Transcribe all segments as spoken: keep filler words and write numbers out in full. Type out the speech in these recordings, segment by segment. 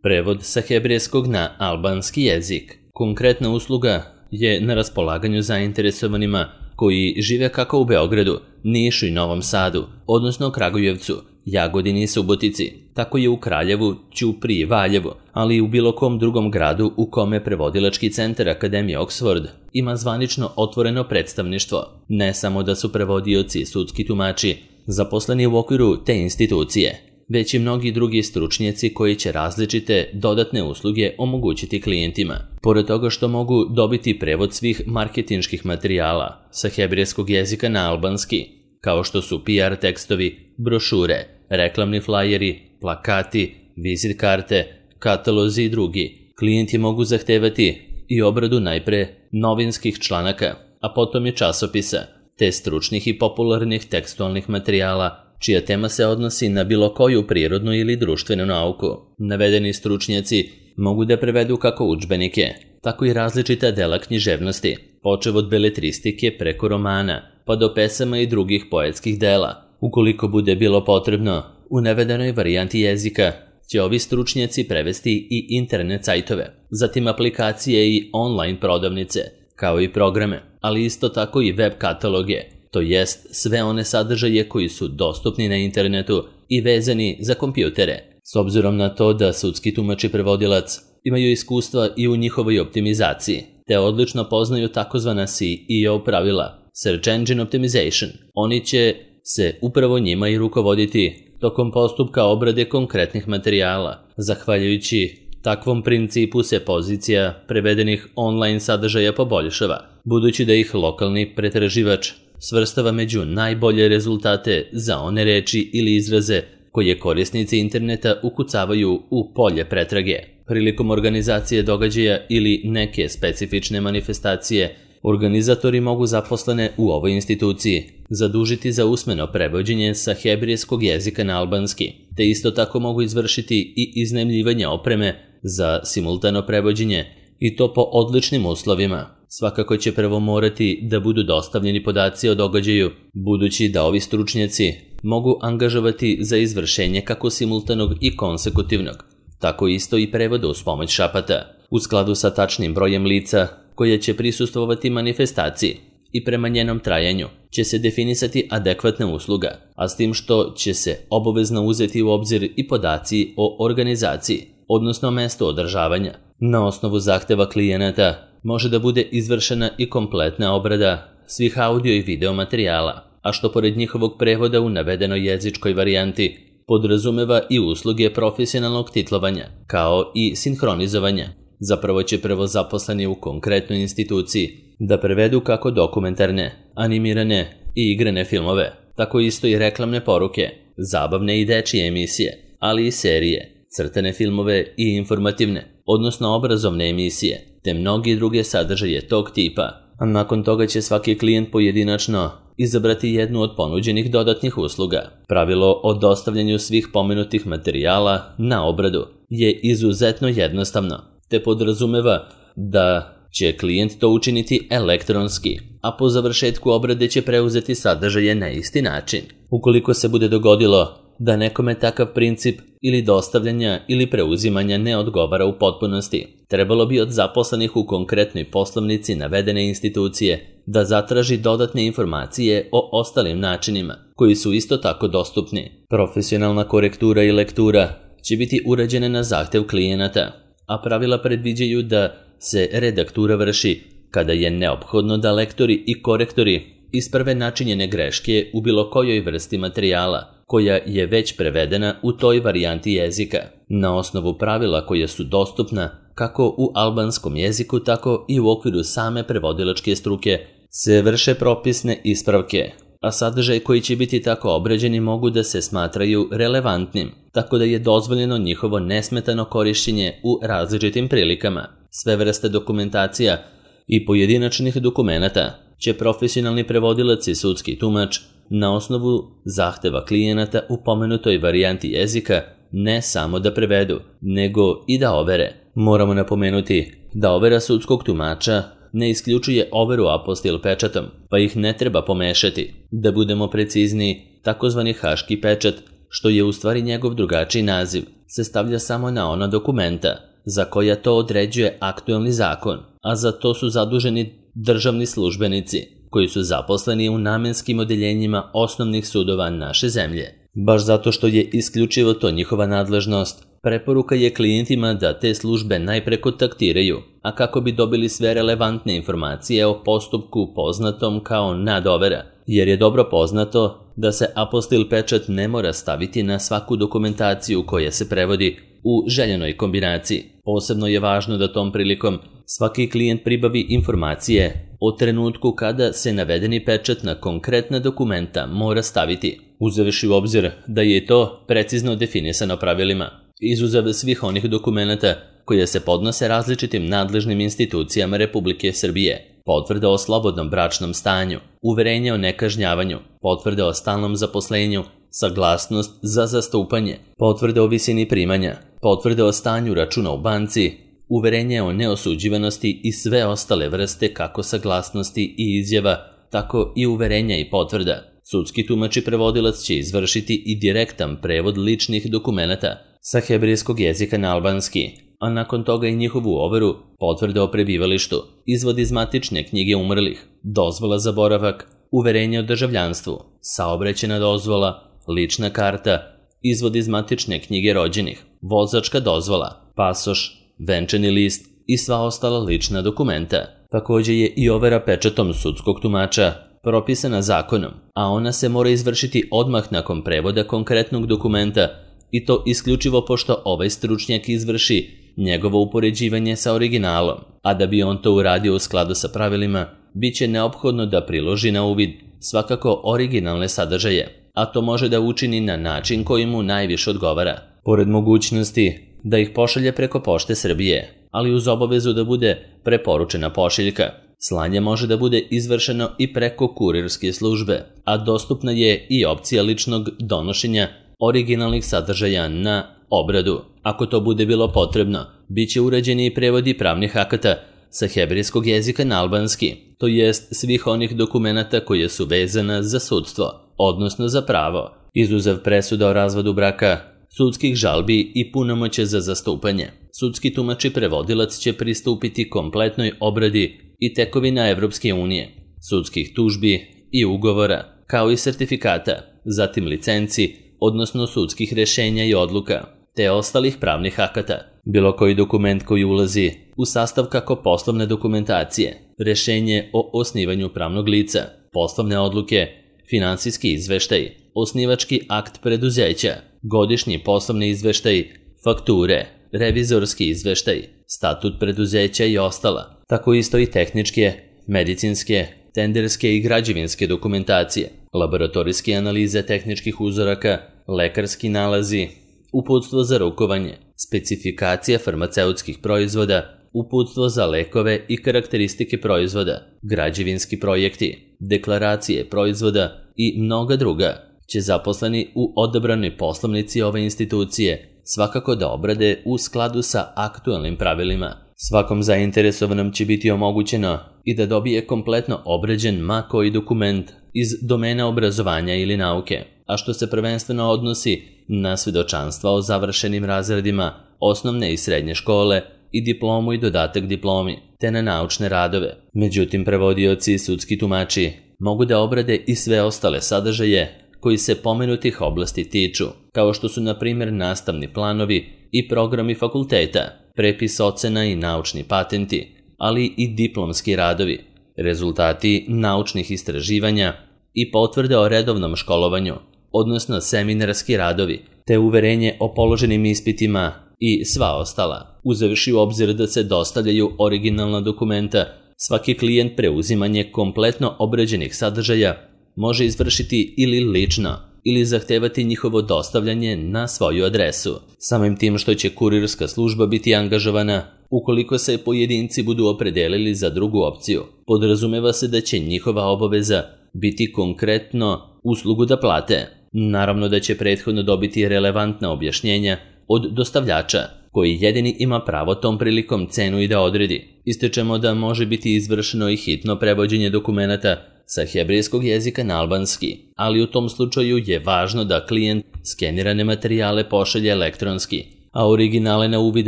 Prevod sa hebrejskog na albanski jezik. Konkretna usluga je na raspolaganju zainteresovanima koji žive kako u Beogradu, Nišu i Novom Sadu, odnosno Kragujevcu, Jagodini i Subotici, tako je u Kraljevu, Ćupriji i Valjevu, ali i u bilo kom drugom gradu u kome prevodilački centar Akademije Oxford ima zvanično otvoreno predstavništvo. Ne samo da su prevodioci i sudski tumači zaposleni u okviru te institucije, već i mnogi drugi stručnjaci koji će različite dodatne usluge omogućiti klijentima. Pored toga što mogu dobiti prevod svih marketinških materijala sa hebrejskog jezika na albanski, kao što su P R tekstovi, brošure, reklamni flajeri, plakati, vizit karte, katalozi i drugi, klijenti mogu zahtevati i obradu najpre novinskih članaka, a potom i časopisa, te stručnih i popularnih tekstualnih materijala čija tema se odnosi na bilo koju prirodnu ili društvenu nauku. Navedeni stručnjaci mogu da prevedu kako udžbenike, tako i različita dela književnosti, počev od beletristike preko romana, pa do pesama i drugih poetskih dela. Ukoliko bude bilo potrebno, u navedenoj varijanti jezika će ovi stručnjaci prevesti i internet sajtove, zatim aplikacije i online prodavnice, kao i programe, ali isto tako i web kataloge, to jest sve one sadržaje koji su dostupni na internetu i vezani za kompjutere. S obzirom na to da sudski tumač i prevodilac imaju iskustva i u njihovoj optimizaciji, te odlično poznaju takozvana S E O pravila, Search Engine Optimization, oni će se upravo njima i rukovoditi tokom postupka obrade konkretnih materijala. Zahvaljujući takvom principu se pozicija prevedenih online sadržaja poboljšava, budući da ih lokalni pretraživač svrstava među najbolje rezultate za one reči ili izraze koje korisnici interneta ukucavaju u polje pretrage. Prilikom organizacije događaja ili neke specifične manifestacije, organizatori mogu zaposlene u ovoj instituciji zadužiti za usmeno prevođenje sa hebrejskog jezika na albanski, te isto tako mogu izvršiti i iznajmljivanje opreme za simultano prevođenje i to po odličnim uslovima. Svakako će prvo morati da budu dostavljeni podaci o događaju, budući da ovi stručnjaci mogu angažovati za izvršenje kako simultanog i konsekutivnog, tako isto i prevoda uz pomoć šapata, u skladu sa tačnim brojem lica koje će prisustvovati manifestaciji i prema njenom trajanju će se definisati adekvatna usluga, a s tim što će se obavezno uzeti u obzir i podaci o organizaciji, odnosno mestu održavanja. Na osnovu zahteva klijenata može da bude izvršena i kompletna obrada svih audio i video materijala, a što pored njihovog prevoda u navedenoj jezičkoj varijanti podrazumeva i usluge profesionalnog titlovanja, kao i sinhronizovanja. Zapravo će prvo zaposleni u konkretnoj instituciji da prevedu kako dokumentarne, animirane i igrane filmove, tako isto i reklamne poruke, zabavne i dečije emisije, ali i serije, crtane filmove i informativne, odnosno obrazovne emisije, te mnogi druge sadržaje tog tipa. A nakon toga će svaki klijent pojedinačno izabrati jednu od ponuđenih dodatnih usluga. Pravilo o dostavljanju svih pomenutih materijala na obradu je izuzetno jednostavno, te podrazumeva da će klijent to učiniti elektronski, a po završetku obrade će preuzeti sadržaje na isti način. Ukoliko se bude dogodilo da nekome takav princip ili dostavljanja ili preuzimanja ne odgovara u potpunosti, trebalo bi od zaposlenih u konkretnoj poslovnici navedene institucije da zatraži dodatne informacije o ostalim načinima, koji su isto tako dostupni. Profesionalna korektura i lektura će biti urađene na zahtev klijenata, a pravila predviđaju da se redaktura vrši kada je neophodno da lektori i korektori isprave načinjene greške u bilo kojoj vrsti materijala koja je već prevedena u toj varijanti jezika. Na osnovu pravila koja su dostupna kako u albanskom jeziku, tako i u okviru same prevodilačke struke se vrše propisne ispravke, a sadržaj koji će biti tako obrađeni mogu da se smatraju relevantnim, tako da je dozvoljeno njihovo nesmetano korišćenje u različitim prilikama. Sve vrste dokumentacija i pojedinačnih dokumenata će profesionalni prevodilac i sudski tumač na osnovu zahteva klijenata u pomenutoj varijanti jezika ne samo da prevedu, nego i da overe. Moramo napomenuti da overa sudskog tumača ne isključuje overu apostil pečatom, pa ih ne treba pomešati. Da budemo precizniji, takozvani haški pečat, što je u stvari njegov drugačiji naziv, se stavlja samo na ona dokumenta za koja to određuje aktuelni zakon, a za to su zaduženi državni službenici koji su zaposleni u namenskim odeljenjima osnovnih sudova naše zemlje. Baš zato što je isključivo to njihova nadležnost, preporuka je klijentima da te službe najpre kontaktiraju, a kako bi dobili sve relevantne informacije o postupku poznatom kao nadovera, jer je dobro poznato da se apostil pečat ne mora staviti na svaku dokumentaciju koja se prevodi u željenoj kombinaciji. Posebno je važno da tom prilikom svaki klijent pribavi informacije o trenutku kada se navedeni pečat na konkretna dokumenta mora staviti, uzevši u obzir da je to precizno definisano pravilima, izuzev svih onih dokumenata koje se podnose različitim nadležnim institucijama Republike Srbije, potvrde o slobodnom bračnom stanju, uverenje o nekažnjavanju, potvrde o stalnom zaposlenju, saglasnost za zastupanje, potvrde o visini primanja, potvrde o stanju računa u banci, uverenje o neosuđivanosti i sve ostale vrste kako saglasnosti i izjava, tako i uverenja i potvrda. Sudski tumač i prevodilac će izvršiti i direktan prevod ličnih dokumenata sa hebrejskog jezika na albanski, a nakon toga i njihovu overu, potvrde o prebivalištu, izvod iz matične knjige umrlih, dozvola za boravak, uverenje o državljanstvu, saobraćajna dozvola, lična karta, izvod iz matične knjige rođenih, vozačka dozvola, pasoš, venčani list i sva ostala lična dokumenta. Također je i overa pečatom sudskog tumača propisana zakonom, a ona se mora izvršiti odmah nakon prevoda konkretnog dokumenta i to isključivo pošto ovaj stručnjak izvrši njegovo upoređivanje sa originalom, a da bi on to uradio u skladu sa pravilima, bit će neophodno da priloži na uvid svakako originalne sadržaje, a to može da učini na način koji mu najviše odgovara, pored mogućnosti da ih pošalje preko Pošte Srbije, ali uz obavezu da bude preporučena pošiljka. Slanje može da bude izvršeno i preko kurirske službe, a dostupna je i opcija ličnog donošenja originalnih sadržaja na obradu. Ako to bude bilo potrebno, bit će urađeni i prevodi pravnih akata sa hebrejskog jezika na albanski, to jest svih onih dokumenata koje su vezana za sudstvo, odnosno za pravo, izuzev presuda o razvodu braka, sudskih žalbi i punomoće za zastupanje. Sudski tumač i prevodilac će pristupiti kompletnoj obradi i tekovina Evropske unije, sudskih tužbi i ugovora, kao i sertifikata, zatim licenci, odnosno sudskih rešenja i odluka, te ostalih pravnih akata. Bilo koji dokument koji ulazi u sastav kako poslovne dokumentacije, rešenje o osnivanju pravnog lica, poslovne odluke, finansijski izveštaj, osnivački akt preduzeća, godišnji poslovni izveštaj, fakture, revizorski izveštaj, statut preduzeća i ostala, tako isto i tehničke, medicinske, tenderske i građevinske dokumentacije, laboratorijske analize tehničkih uzoraka, lekarski nalazi, uputstvo za rukovanje, specifikacija farmaceutskih proizvoda, uputstvo za lekove i karakteristike proizvoda, građevinski projekti, deklaracije proizvoda i mnoga druga, će zaposleni u odabranoj poslovnici ove institucije svakako da obrade u skladu sa aktualnim pravilima. Svakom zainteresovanom će biti omogućeno i da dobije kompletno obrađen ma koji dokument iz domena obrazovanja ili nauke, a što se prvenstveno odnosi na svjedočanstva o završenim razredima osnovne i srednje škole i diplomu i dodatak diplomi, te na naučne radove. Međutim, prevodioci i sudski tumači mogu da obrade i sve ostale sadržaje koji se pomenutih oblasti tiču, kao što su na primjer nastavni planovi i programi fakulteta, prepis ocena i naučni patenti, ali i diplomski radovi, rezultati naučnih istraživanja i potvrde o redovnom školovanju, odnosno seminarski radovi, te uverenje o položenim ispitima i sva ostala. Uzevši u obzir da se dostavljaju originalna dokumenta, svaki klijent preuzimanje kompletno obrađenih sadržaja može izvršiti ili lično, ili zahtevati njihovo dostavljanje na svoju adresu. Samim tim što će kurirska služba biti angažovana, ukoliko se pojedinci budu opredelili za drugu opciju, podrazumeva se da će njihova obaveza biti konkretno uslugu da plate. Naravno da će prethodno dobiti relevantna objašnjenja od dostavljača, koji jedini ima pravo tom prilikom cenu i da odredi. Ističemo da može biti izvršeno i hitno prevođenje dokumenata sa hebrejskog jezika na albanski, ali u tom slučaju je važno da klijent skenirane materijale pošalje elektronski a originale na uvid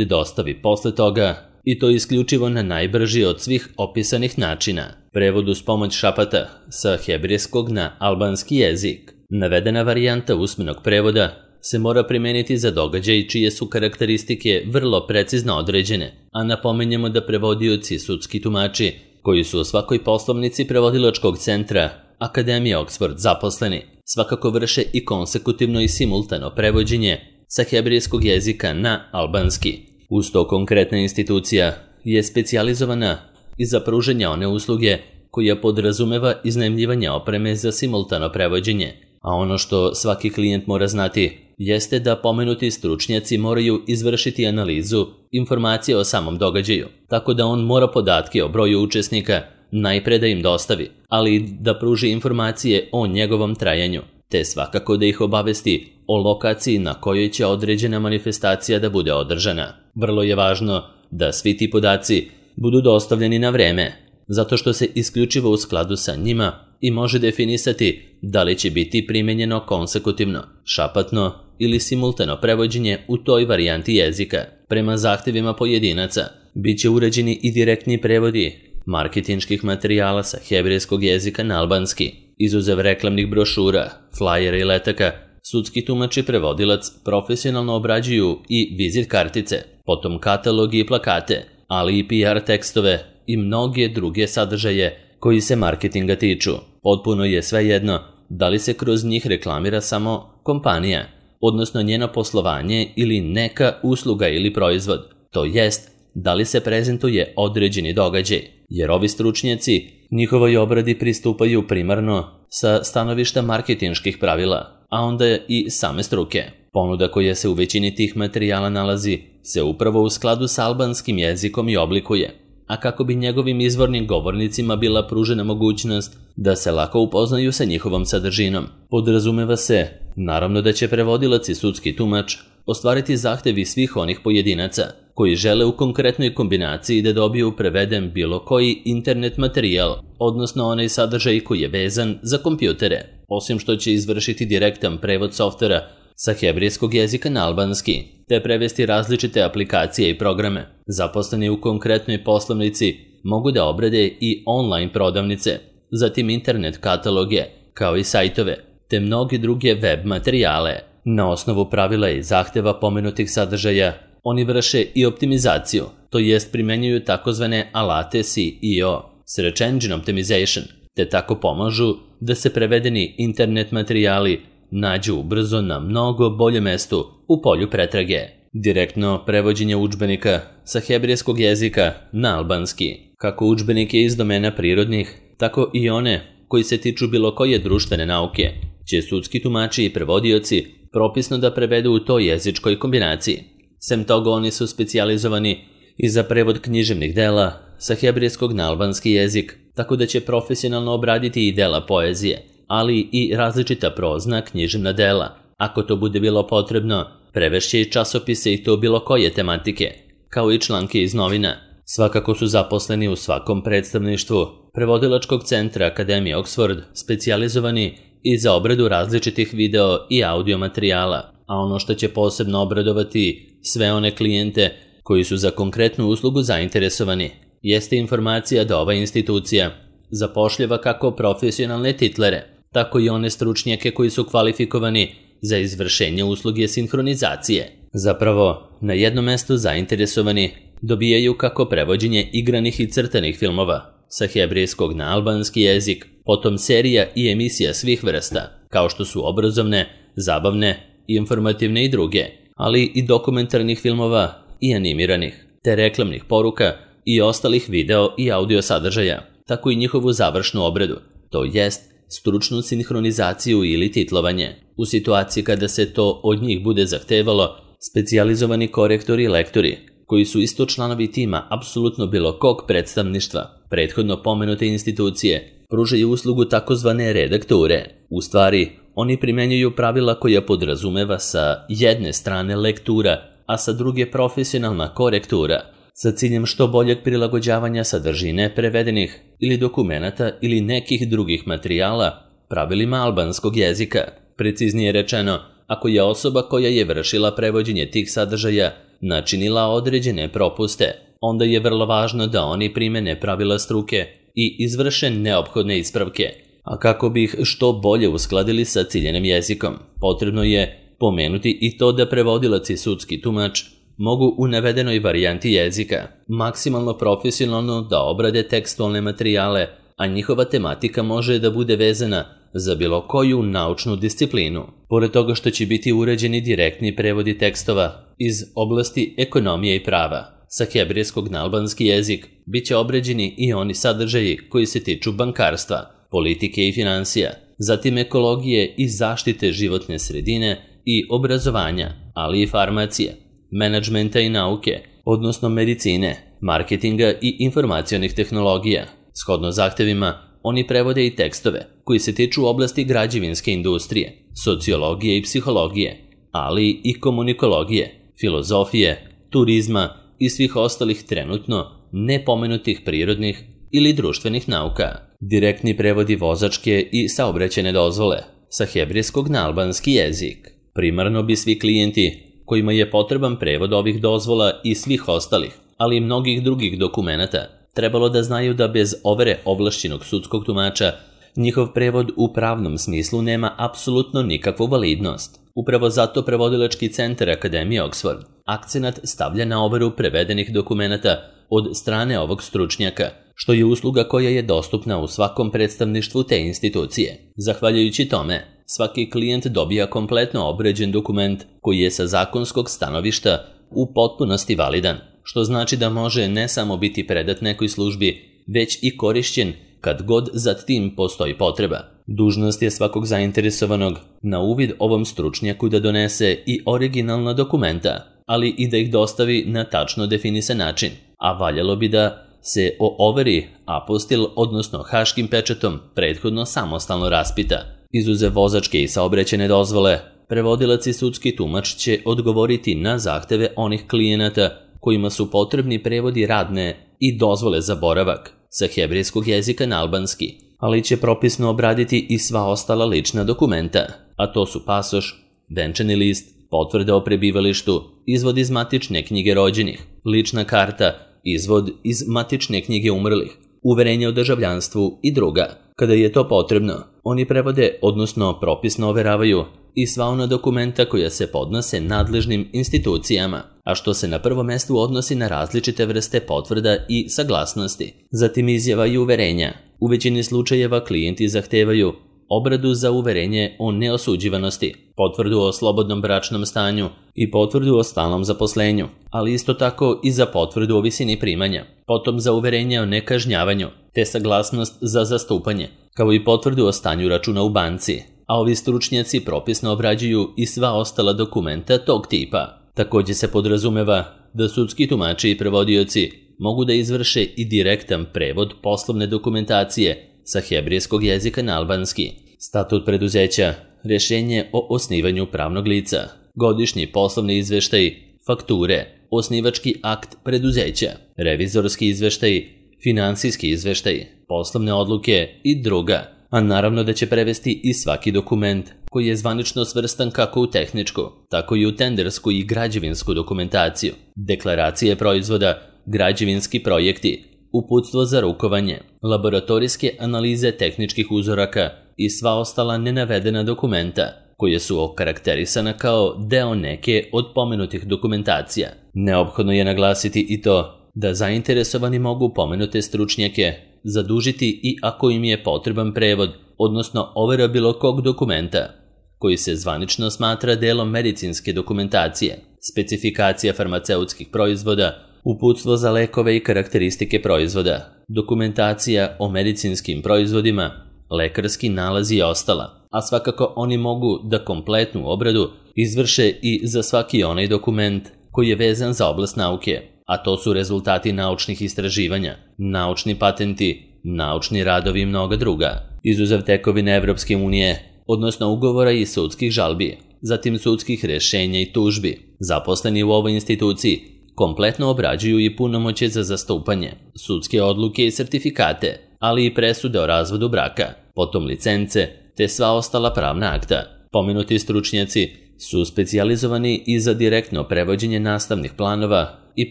dostavi posle toga, i to isključivo na najbrži od svih opisanih načina, prevod uz pomoć šapata sa hebrejskog na albanski jezik. Navedena varijanta usmenog prevoda se mora primeniti za događaj čije su karakteristike vrlo precizno određene, a napominjemo da prevodioci i sudski tumači, koji su u svakoj poslovnici prevodilačkog centra Akademije Oxford zaposleni, svakako vrše i konsekutivno i simultano prevođenje sa hebrejskog jezika na albanski. Uz to konkretna institucija je specijalizovana i za pružanje one usluge koja podrazumeva iznajmljivanje opreme za simultano prevođenje, a ono što svaki klijent mora znati jeste da pomenuti stručnjaci moraju izvršiti analizu informacije o samom događaju, tako da on mora podatke o broju učesnika najpre da im dostavi, ali i da pruži informacije o njegovom trajanju, te svakako da ih obavesti o lokaciji na kojoj će određena manifestacija da bude održana. Vrlo je važno da svi ti podaci budu dostavljeni na vreme, zato što se isključivo u skladu sa njima i može definisati da li će biti primenjeno konsekutivno, šapatno ili simultano prevođenje u toj varijanti jezika. Prema zahtevima pojedinaca bit će uređeni i direktni prevodi marketinških materijala sa hebrejskog jezika na albanski, izuzev reklamnih brošura, flajera i letaka. Sudski tumač i prevodilac profesionalno obrađuju i vizit kartice, potom katalogi i plakate, ali i P R tekstove i mnoge druge sadržaje koji se marketinga tiču. Potpuno je svejedno da li se kroz njih reklamira samo kompanija, odnosno njeno poslovanje ili neka usluga ili proizvod, to jest da li se prezentuje određeni događaj, jer ovi stručnjaci njihovoj obradi pristupaju primarno sa stanovišta marketinških pravila, a onda i same struke. Ponuda koja se u većini tih materijala nalazi se upravo u skladu s albanskim jezikom i oblikuje, a kako bi njegovim izvornim govornicima bila pružena mogućnost da se lako upoznaju sa njihovom sadržinom. Podrazumeva se, naravno, da će prevodilac i sudski tumač ostvariti zahtevi svih onih pojedinaca koji žele u konkretnoj kombinaciji da dobiju preveden bilo koji internet materijal, odnosno onaj sadržaj koji je vezan za kompjutere, osim što će izvršiti direktan prevod softvera sa hebrejskog jezika na albanski, te prevesti različite aplikacije i programe. Zaposleni u konkretnoj poslovnici mogu da obrade i online prodavnice, zatim internet kataloge, kao i sajtove, te mnoge druge web materijale. Na osnovu pravila i zahteva pomenutih sadržaja, oni vrše i optimizaciju, to jest primenjuju takozvane alate S E O, Search Engine Optimization, te tako pomažu da se prevedeni internet materijali nađu ubrzo na mnogo bolje mestu u polju pretrage. Direktno prevođenje udžbenika sa hebrejskog jezika na albanski, kako udžbenike iz domena prirodnih, tako i one koji se tiču bilo koje društvene nauke, će sudski tumači i prevodioci propisno da prevedu u toj jezičkoj kombinaciji. Sem toga, oni su specijalizovani i za prevod književnih dela sa hebrejskog na albanski jezik, tako da će profesionalno obraditi i dela poezije, ali i različita prozna književna dela. Ako to bude bilo potrebno, prevešće i časopise i to bilo koje tematike, kao i članke iz novina. Svakako su zaposleni u svakom predstavništvu prevodilačkog centra Akademije Oxford specijalizovani i za obradu različitih video i audio materijala, a ono što će posebno obradovati sve one klijente koji su za konkretnu uslugu zainteresovani, jeste informacija da ova institucija zapošljava kako profesionalne titlere, tako i one stručnjake koji su kvalifikovani za izvršenje usluge sinhronizacije. Zapravo, na jednom mestu zainteresovani dobijaju kako prevođenje igranih i crtanih filmova sa hebrejskog na albanski jezik, potom serija i emisija svih vrsta, kao što su obrazovne, zabavne, informativne i druge, ali i dokumentarnih filmova i animiranih, te reklamnih poruka i ostalih video i audio sadržaja, tako i njihovu završnu obradu, to jest stručnu sinhronizaciju ili titlovanje. U situaciji kada se to od njih bude zahtevalo, specijalizovani korektori i lektori, koji su isto članovi tima apsolutno bilo kog predstavništva, prethodno pomenute institucije, pružaju uslugu takozvane redakture. U stvari, oni primenjuju pravila koja podrazumeva sa jedne strane lektura, a sa druge profesionalna korektura, sa ciljem što boljeg prilagođavanja sadržine prevedenih ili dokumenata ili nekih drugih materijala pravilima albanskog jezika. Preciznije rečeno, ako je osoba koja je vršila prevođenje tih sadržaja načinila određene propuste, onda je vrlo važno da oni primene pravila struke i izvrše neophodne ispravke. A kako bi ih što bolje uskladili sa ciljenim jezikom, potrebno je pomenuti i to da prevodilac i sudski tumač mogu u navedenoj varijanti jezika maksimalno profesionalno da obrade tekstualne materijale, a njihova tematika može da bude vezana za bilo koju naučnu disciplinu. Pored toga što će biti uređeni direktni prevodi tekstova iz oblasti ekonomije i prava, sa hebrejskog na albanski jezik bit će obrađeni i oni sadržaji koji se tiču bankarstva, politike i finansija, zatim ekologije i zaštite životne sredine i obrazovanja, ali i farmacije, menadžmenta i nauke, odnosno medicine, marketinga i informacionih tehnologija. Shodno zahtevima, oni prevode i tekstove koji se tiču oblasti građevinske industrije, sociologije i psihologije, ali i komunikologije, filozofije, turizma i svih ostalih trenutno nepomenutih prirodnih ili društvenih nauka. Direktni prevodi vozačke i saobraćajne dozvole sa hebrejskog na albanski jezik. Primarno bi svi klijenti kojima je potreban prevod ovih dozvola i svih ostalih, ali i mnogih drugih dokumenata, trebalo da znaju da bez overe ovlašćenog sudskog tumača njihov prevod u pravnom smislu nema apsolutno nikakvu validnost. Upravo zato prevodilački centar Akademije Oxford akcenat stavlja na overu prevedenih dokumenata od strane ovog stručnjaka, što je usluga koja je dostupna u svakom predstavništvu te institucije. Zahvaljujući tome, svaki klijent dobija kompletno obrađen dokument koji je sa zakonskog stanovišta u potpunosti validan, što znači da može ne samo biti predat nekoj službi, već i korišćen kad god za tim postoji potreba. Dužnost je svakog zainteresovanog na uvid ovom stručnjaku da donese i originalna dokumenta, ali i da ih dostavi na tačno definisan način, a valjalo bi da se o overi apostil, odnosno haškim pečatom, prethodno samostalno raspita. Izuzev vozačke i saobraćajne dozvole, prevodilac i sudski tumač će odgovoriti na zahteve onih klijenata kojima su potrebni prevodi radne i dozvole za boravak sa hebrejskog jezika na albanski, ali će propisno obraditi i sva ostala lična dokumenta, a to su pasoš, venčani list, potvrda o prebivalištu, izvod iz matične knjige rođenih, lična karta, izvod iz matične knjige umrlih, uverenje o državljanstvu i druga. Kada je to potrebno, oni prevode, odnosno propisno overavaju i sva ona dokumenta koja se podnose nadležnim institucijama, a što se na prvo mestu odnosi na različite vrste potvrda i saglasnosti, zatim izjava i uverenja. U većini slučajeva klijenti zahtevaju obradu za uverenje o neosuđivanosti, potvrdu o slobodnom bračnom stanju i potvrdu o stalnom zaposlenju, ali isto tako i za potvrdu o visini primanja, potom za uverenje o nekažnjavanju, te saglasnost za zastupanje, kao i potvrdu o stanju računa u banci, a ovi stručnjaci propisno obrađuju i sva ostala dokumenta tog tipa. Također se podrazumeva da sudski tumači i prevodioci mogu da izvrše i direktan prevod poslovne dokumentacije sa hebrejskog jezika na albanski, statut preduzeća, rješenje o osnivanju pravnog lica, godišnji poslovni izveštaj, fakture, osnivački akt preduzeća, revizorski izveštaj, finansijski izveštaj, poslovne odluke i druga, a naravno da će prevesti i svaki dokument koji je zvanično svrstan kako u tehničku, tako i u tendersku i građevinsku dokumentaciju, deklaracije proizvoda, građevinski projekti, uputstvo za rukovanje, laboratorijske analize tehničkih uzoraka i sva ostala nenavedena dokumenta koje su okarakterisana kao deo neke od pomenutih dokumentacija. Neophodno je naglasiti i to da zainteresovani mogu pomenute stručnjake zadužiti i ako im je potreban prevod, odnosno overa bilo kog dokumenta koji se zvanično smatra delom medicinske dokumentacije, specifikacija farmaceutskih proizvoda, uputstvo za lekove i karakteristike proizvoda, dokumentacija o medicinskim proizvodima, lekarski nalazi i ostala, a svakako oni mogu da kompletnu obradu izvrše i za svaki onaj dokument koji je vezan za oblast nauke, a to su rezultati naučnih istraživanja, naučni patenti, naučni radovi i mnoga druga, izuzev tekovine Evropske unije, odnosno ugovora i sudskih žalbi, zatim sudskih rješenja i tužbi. Zaposleni u ovoj instituciji kompletno obrađuju i punomoćje za zastupanje, sudske odluke i sertifikate, ali i presude o razvodu braka, potom licence, te sva ostala pravna akta. Pomenuti stručnjaci su specijalizovani i za direktno prevođenje nastavnih planova i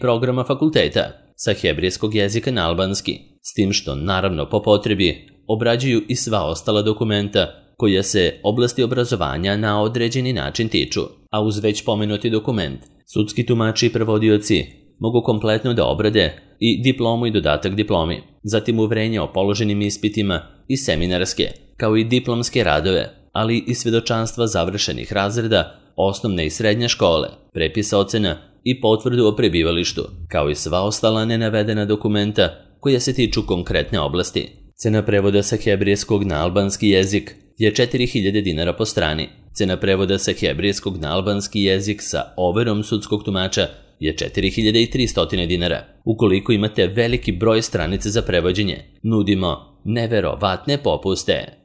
programa fakulteta sa hebrejskog jezika na albanski, s tim što, naravno po potrebi, obrađuju i sva ostala dokumenta koja se oblasti obrazovanja na određeni način tiču, a uz već pomenuti dokument, sudski tumači i prevodioci mogu kompletno da obrade i diplomu i dodatak diplomi, zatim uverenje o položenim ispitima i seminarske, kao i diplomske radove, ali i svedočanstva završenih razreda, osnovne i srednje škole, prepisa ocena i potvrdu o prebivalištu, kao i sva ostala nenavedena dokumenta koja se tiču konkretne oblasti. Cena prevoda sa hebrejskog na albanski jezik je četiri hiljade dinara po strani. Cena prevoda sa hebrejskog na albanski jezik sa overom sudskog tumača je četiri hiljade tristo dinara. Ukoliko imate veliki broj stranica za prevođenje, nudimo neverovatne popuste.